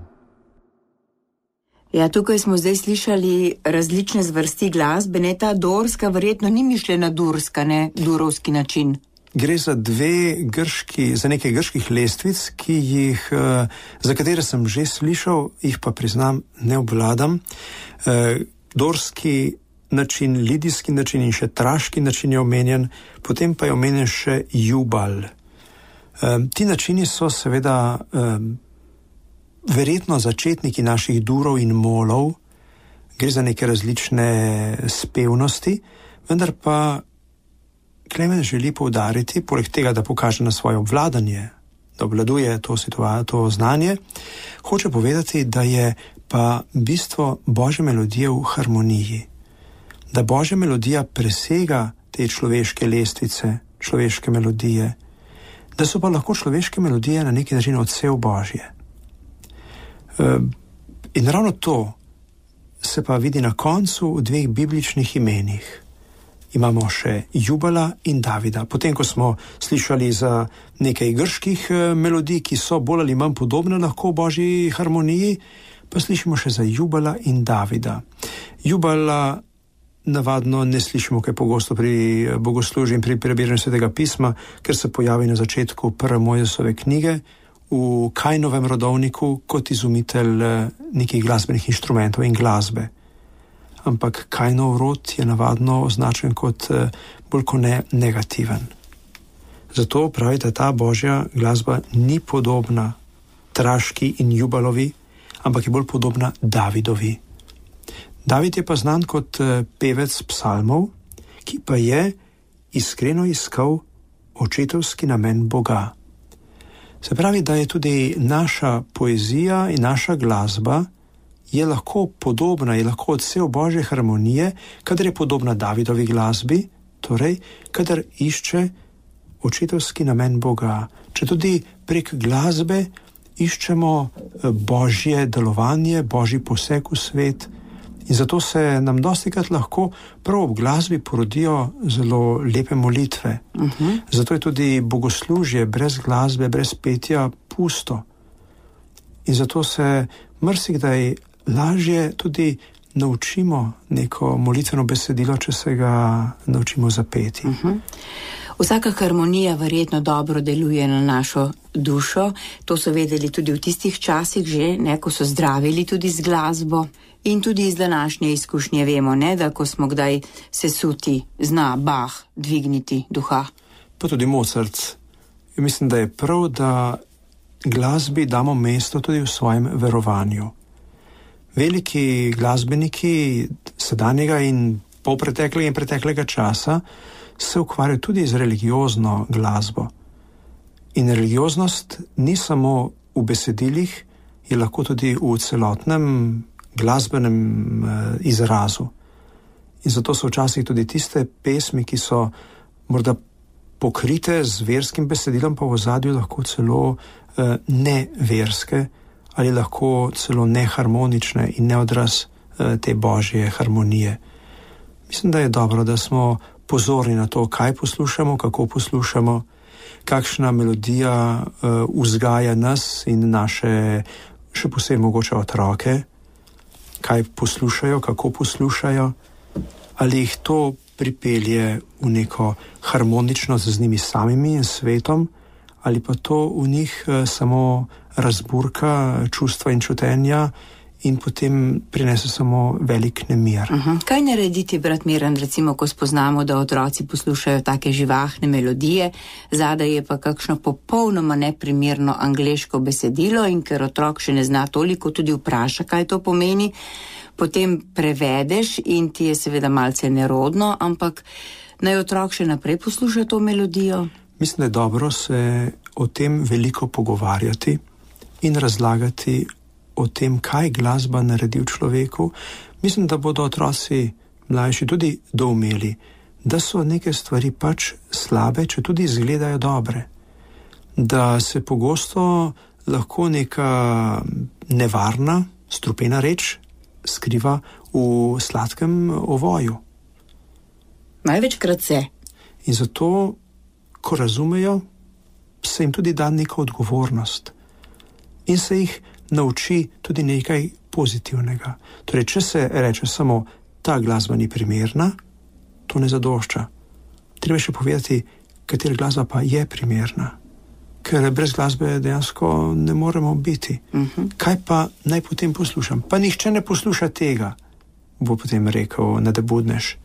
Speaker 1: Ja, tukaj smo zdaj slišali različne zvrsti glasbe, ne, ta dorska verjetno ni mišljena durska, ne, durovski način.
Speaker 2: Gre za dve grški, za nekaj grških lestvic, ki jih, za katere sem že slišal, jih pa priznam, ne obvladam. Dorski način, lidijski način in še traški način je omenjen, potem pa je omenjen še jubal. Ti načini so seveda verjetno začetniki naših durov in molov, gre za neke različne spevnosti, vendar pa Klemen želi poudariti, poleg tega, da pokaže na svoje obvladanje, da obvladuje to situacijo, to znanje, hoče povedati, da je pa bistvo Božje melodije v harmoniji. Da Božja melodija presega te človeške lestvice, človeške melodije, da so pa lahko človeške melodije na neki način odsev Božje. In ravno to se pa vidi na koncu v dveh bibličnih imenih. Imamo še Jubala in Davida. Potem, ko smo slišali za nekaj grških melodij, ki so bolj ali manj podobne lahko Božji harmoniji, pa slišimo še za Jubala in Davida. Jubala navadno ne slišimo kaj pogosto pri bogoslužju in pri prebiranju Svetega pisma, ker se pojavi na začetku prve Mojzesove knjige, v Kajnovem rodovniku kot izumitelj nekih glasbenih inštrumentov in glasbe. Ampak Kajnov rod je navadno označen kot bolj kot ne negativen. Zato pravi, da ta Božja glasba ni podobna traški in jubalovi, ampak je bolj podobna Davidovi. David je pa znan kot pevec psalmov, ki pa je iskreno iskal očetovski namen Boga. Se pravi, da je tudi naša poezija in naša glasba je lahko podobna, je lahko odsev Božje harmonije, kadar je podobna Davidovi glasbi, torej, kadar išče očetovski namen Boga. Če tudi prek glasbe iščemo Božje delovanje, Božji poseg v svet, in zato se nam dostikrat lahko prav ob glasbi porodijo zelo lepe molitve. Uh-huh. Zato je tudi bogoslužje brez glasbe, brez petja pusto. In zato se marsikdaj lažje tudi naučimo neko molitveno besedilo, če se ga naučimo zapeti.
Speaker 1: Uh-huh. Vsaka harmonija verjetno dobro deluje na našo dušo. To so vedeli tudi v tistih časih že, ne, ko so zdravili tudi z glasbo. In tudi iz današnje izkušnje vemo, ne, da ko smo kdaj sesuti, zna Bach dvigniti duha.
Speaker 2: Pa tudi Mozart. Mislim, da je prav, da glasbi damo mesto tudi v svojem verovanju. Veliki glasbeniki sedanjega in polpreteklega in preteklega časa se ukvarjajo tudi z religiozno glasbo. In religioznost ni samo v besedilih, je lahko tudi v celotnem glasbenem eh, izrazu. In zato so včasih tudi tiste pesmi, ki so morda pokrite z verskim besedilom, pa v ozadju lahko celo eh, neverske ali lahko celo neharmonične in neodraz eh, te Božje harmonije. Mislim, da je dobro, da smo pozorni na to, kaj poslušamo, kako poslušamo, kakšna melodija uh, vzgaja nas in naše, še posebej mogoče otroke, kaj poslušajo, kako poslušajo, ali jih to pripelje v neko harmoničnost z njimi samimi in svetom, ali pa to v njih uh, samo razburka čustva in čutenja in potem prinese samo velik nemir.
Speaker 1: Uh-huh. Kaj narediti, brat Miran, recimo, ko spoznamo, da otroci poslušajo take živahne melodije, zadaj je pa kakšno popolnoma neprimerno angleško besedilo in ker otrok še ne zna toliko, tudi vpraša, kaj to pomeni, potem prevedeš in ti je seveda malce nerodno, ampak naj otrok še naprej posluša to melodijo?
Speaker 2: Mislim, da je dobro se o tem veliko pogovarjati in razlagati o tem, kaj glasba naredi v človeku. Mislim, da bodo otroci mlajši tudi doumeli, da so neke stvari pač slabe, če tudi izgledajo dobre. Da se pogosto lahko neka nevarna, strupena reč skriva v sladkem ovoju.
Speaker 1: Največkrat se.
Speaker 2: In zato, ko razumejo, se jim tudi da neka odgovornost. In se jih nauči tudi nekaj pozitivnega. Torej, če se reče samo, ta glasba ni primerna, to ne zadošča. Treba še povedati, katera glasba pa je primerna. Ker brez glasbe dejansko ne moremo biti. Uh-huh. Kaj pa naj potem poslušam? Pa nihče ne posluša tega, bo potem rekel nadebudnež.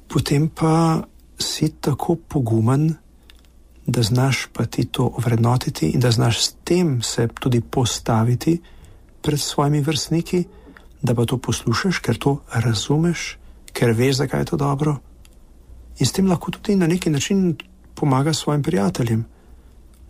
Speaker 2: Potem pa si tako pogumen, da znaš pa ti to ovrednotiti in da znaš s tem se tudi postaviti pred svojimi vrstniki, da pa to poslušaš, ker to razumeš, ker veš, zakaj je to dobro. In s tem lahko tudi na neki način pomaga svojim prijateljem,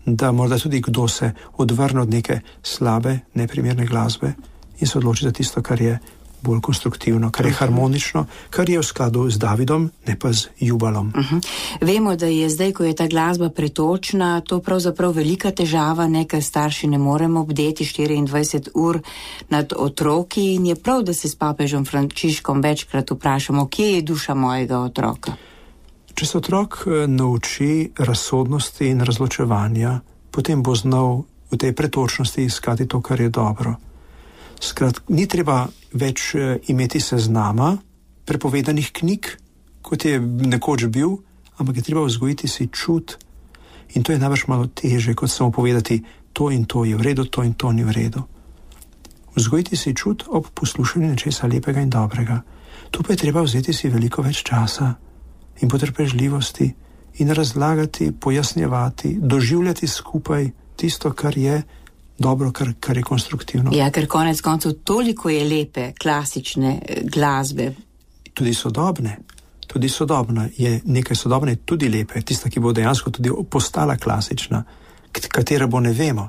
Speaker 2: da morda tudi kdo se odvrne od neke slabe, neprimerne glasbe in se odloči za tisto, kar je bolj konstruktivno, kar je harmonično, kar je v skladu z Davidom, ne pa z Jubalom.
Speaker 1: Uh-huh. Vemo, da je zdaj, ko je ta glasba pretočna, to pravzaprav velika težava, nekaj starši ne moremo obdeti štiriindvajset ur nad otroki in je prav, da se s papežem Frančiškom večkrat vprašamo, kje je duša mojega otroka.
Speaker 2: Če se otrok nauči razsodnosti in razločevanja, potem bo znal v tej pretočnosti iskati to, kar je dobro. Skrat, ni treba več imeti seznama prepovedanih knjig, kot je nekoč bil, ampak je treba vzgojiti si čut. In to je najbrž malo teže, kot samo povedati, to in to je v redu, to in to ni v redu. Vzgojiti si čut ob poslušanju nečesa lepega in dobrega. Tu pa je treba vzeti si veliko več časa in potrpežljivosti in razlagati, pojasnjevati, doživljati skupaj tisto, kar je dobro, kar, kar je konstruktivno.
Speaker 1: Ja, ker konec koncev toliko je lepe, klasične glasbe.
Speaker 2: Tudi sodobne. Tudi sodobna je nekaj sodobne, tudi lepe. Tista, ki bo dejansko tudi postala klasična, katera bo ne vemo.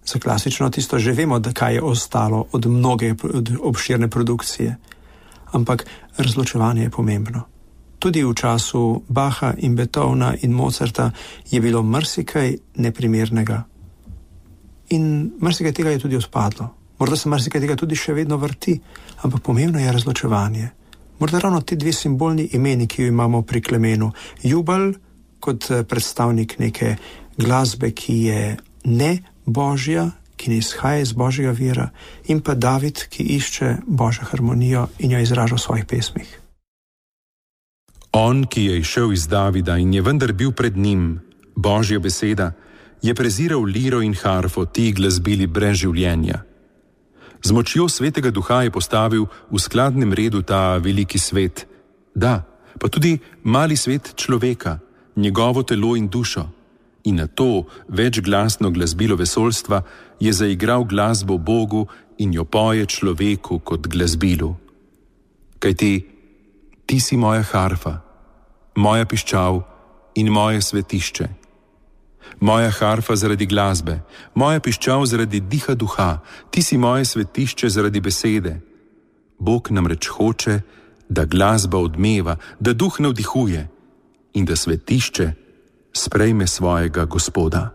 Speaker 2: Za klasično tisto že vemo, da kaj je ostalo od mnoge od obširne produkcije. Ampak razločevanje je pomembno. Tudi v času Bacha in Beethovna in Mozarta je bilo marsikaj neprimernega. In marsikaj tega je tudi odpadlo. Morda se marsikaj tega tudi še vedno vrti, ampak pomembno je razločevanje. Morda ravno ti dve simbolni imeni, ki jo imamo pri Klemenu. Jubal kot predstavnik neke glasbe, ki je ne božja, ki ne izhaja iz božjega vira, in pa David, ki išče božjo harmonijo in jo izraža v svojih pesmih.
Speaker 3: On, ki je izšel iz Davida in je vendar bil pred njim, božja beseda, je preziral liro in harfo, ti glasbili brez življenja. Z močjo svetega duha je postavil v skladnem redu ta veliki svet, da, pa tudi mali svet človeka, njegovo telo in dušo. In na to večglasno glasbilo vesoljstva je zaigral glasbo Bogu in jo poje človeku kot glasbilu. Kajti, ti si moja harfa, moja piščal in moje svetišče. Moja harfa zaradi glasbe, moja piščal zaradi diha duha, ti si moje svetišče zaradi besede. Bog namreč hoče, da glasba odmeva, da duh navdihuje in da svetišče sprejme svojega Gospoda.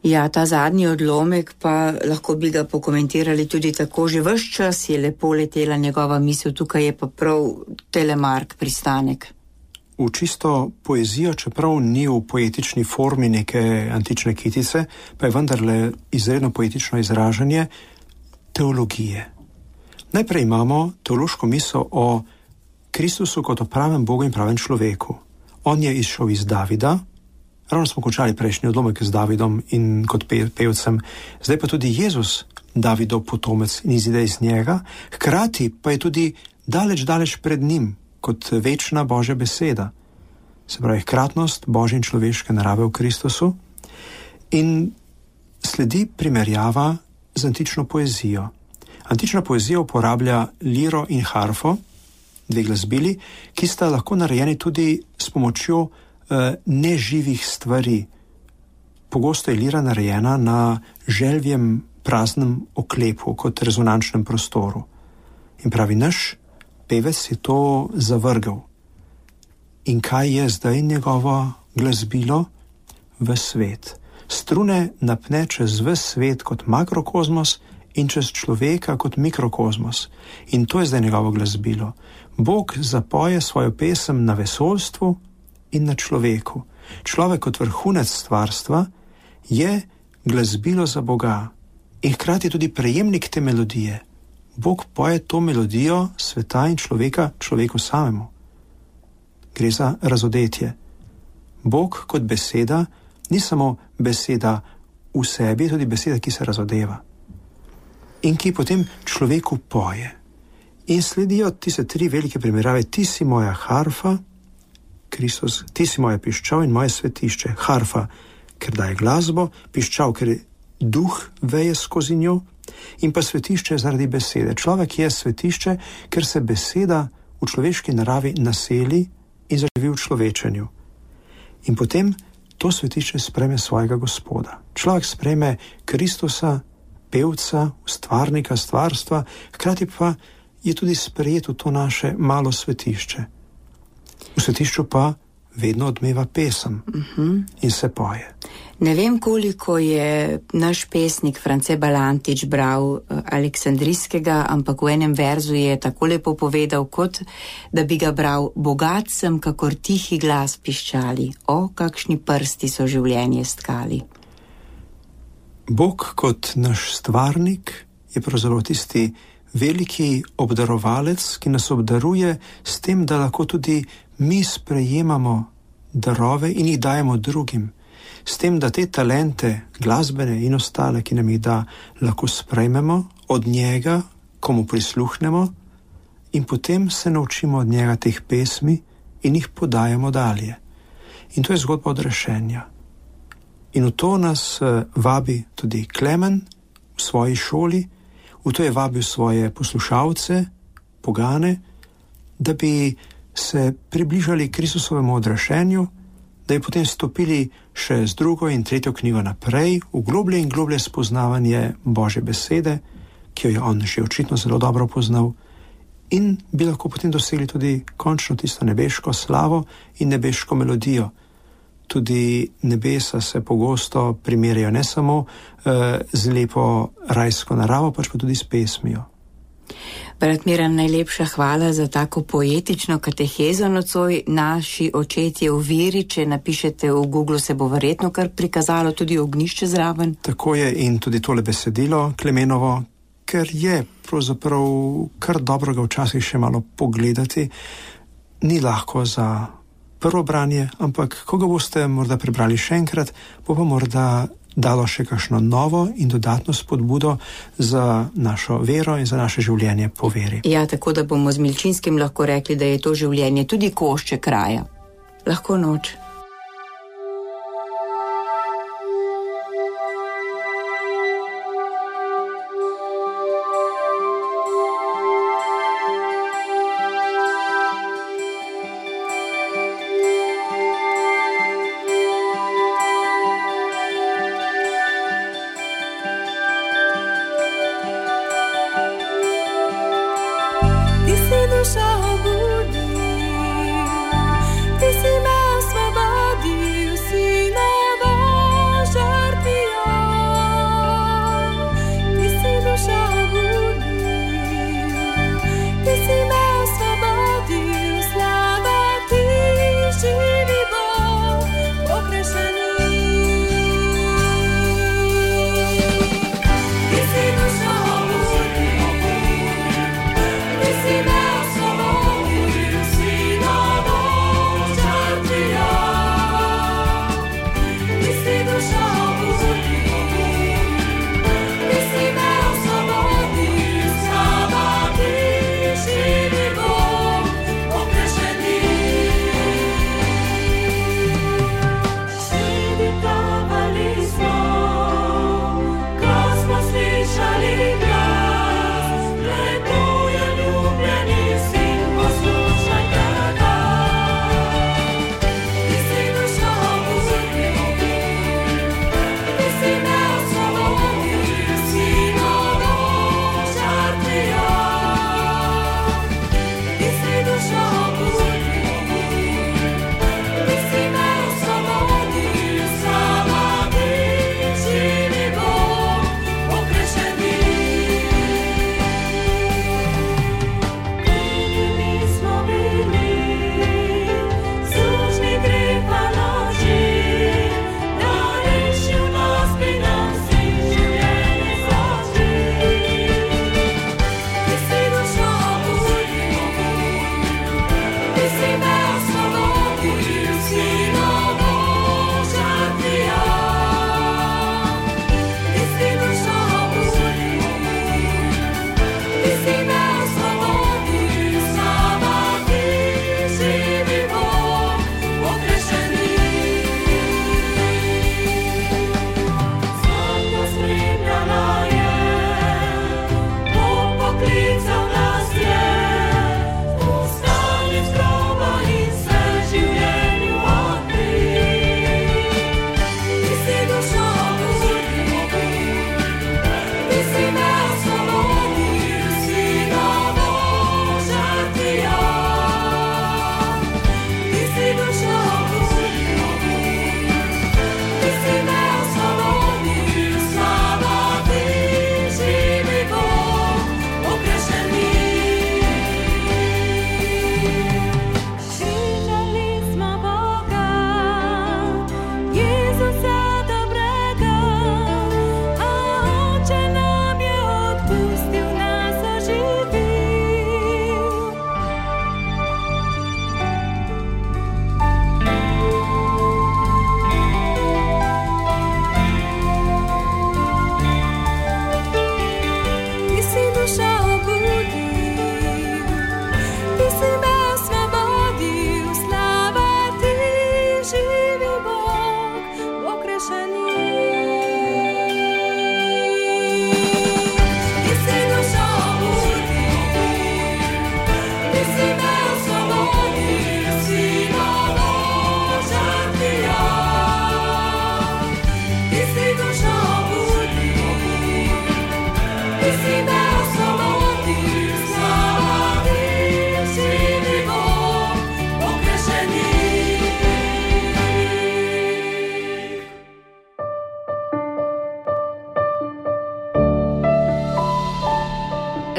Speaker 1: Ja, ta zadnji odlomek pa lahko bi ga pokomentirali tudi tako, že ves čas je lepo letela njegova misel, tukaj je pa prav Telemark pristanek.
Speaker 2: V čisto poezijo, čeprav ni v poetični formi neke antične kitice, pa je vendarle izredno poetično izražanje teologije. Najprej imamo teološko misel o Kristusu kot o pravem Bogu in pravem človeku. On je izšel iz Davida, ravno smo končali prejšnji odlomek z Davidom in kot pe- pevcem, zdaj pa tudi Jezus Davidov potomec in izide iz njega, hkrati pa je tudi daleč, daleč pred njim, kot večna Božja beseda. Se pravi, hkratnost Božje in človeške narave v Kristusu. In sledi primerjava z antično poezijo. Antična poezija uporablja liro in harfo, dve glasbili, ki sta lahko narejeni tudi s pomočjo eh, neživih stvari. Pogosto je lira narejena na želvjem praznem oklepu, kot rezonančnem prostoru. In pravi, naš pevec je to zavrgel. In kaj je zdaj njegovo glasbilo? V svet. Strune napne čez ves svet kot makrokozmos in čez človeka kot mikrokozmos. In to je zdaj njegovo glasbilo. Bog zapoje svojo pesem na vesoljstvu in na človeku. Človek kot vrhunec stvarstva je glasbilo za Boga in hkrati tudi prejemnik te melodije. Bog poje to melodijo sveta in človeka človeku samemu. Gre za razodetje. Bog kot beseda ni samo beseda v sebi, tudi beseda, ki se razodeva in ki potem človeku poje. In sledijo tiste tri velike primerjave. Ti si moja harfa, Kristus, ti si moja piščal in moje svetišče. Harfa, ker daje glasbo, piščal, ker duh veje skozi njo, in pa svetišče zaradi besede. Človek je svetišče, ker se beseda v človeški naravi naseli in zaživi v človečenju. In potem to svetišče sprejme svojega Gospoda. Človek sprejme Kristusa, pevca, stvarnika stvarstva, hkrati pa je tudi sprejet v to naše malo svetišče. V svetišču pa vedno odmeva pesem uh-huh. in se poje.
Speaker 1: Ne vem, koliko je naš pesnik France Balantič bral Aleksandrijskega, ampak v enem verzu je tako lepo povedal, kot da bi ga bral: bogat sem, kakor tihi glas piščali, o, kakšni prsti so življenje stkali.
Speaker 2: Bog kot naš stvarnik je pravzaprav tisti veliki obdarovalec, ki nas obdaruje s tem, da lahko tudi mi sprejemamo darove in jih dajemo drugim. S tem, da te talente, glasbene in ostale, ki nam jih da, lahko sprejmemo od njega, komu prisluhnemo, in potem se naučimo od njega teh pesmi in jih podajamo dalje. In to je zgodba odrešenja. In v to nas vabi tudi Klemen v svoji šoli, v to je vabil svoje poslušalce, pogane, da bi se približali Kristusovemu odrešenju, da bi potem stopili še z drugo in tretjo knjigo naprej, v globlje in globlje spoznavanje Božje besede, ki jo je on že očitno zelo dobro poznal, in bi lahko potem dosegli tudi končno tisto nebeško slavo in nebeško melodijo. Tudi nebesa se pogosto primerjajo ne samo eh, z lepo rajsko naravo, pač pa tudi s pesmijo.
Speaker 1: Brat Miran, najlepša hvala za tako poetično katehezo nocoj. Naši očetje v veri, če napišete v Google, se bo verjetno kar prikazalo tudi ognjišče zraven.
Speaker 2: Tako je, in tudi tole besedilo Klemenovo, ker je pravzaprav kar dobro ga včasih še malo pogledati. Ni lahko za prvo branje, ampak ko ga boste morda prebrali še enkrat, bo pa morda dalo še kakšno novo in dodatno spodbudo za našo vero in za naše življenje po veri.
Speaker 1: Ja, tako da bomo z Milčinskim lahko rekli, da je to življenje tudi košček raja. Lahko noč.
Speaker 4: Ti si duša obudi, ti si me osvobodil.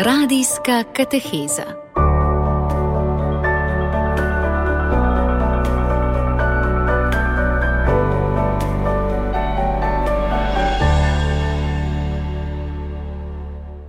Speaker 4: Radijska kateheza.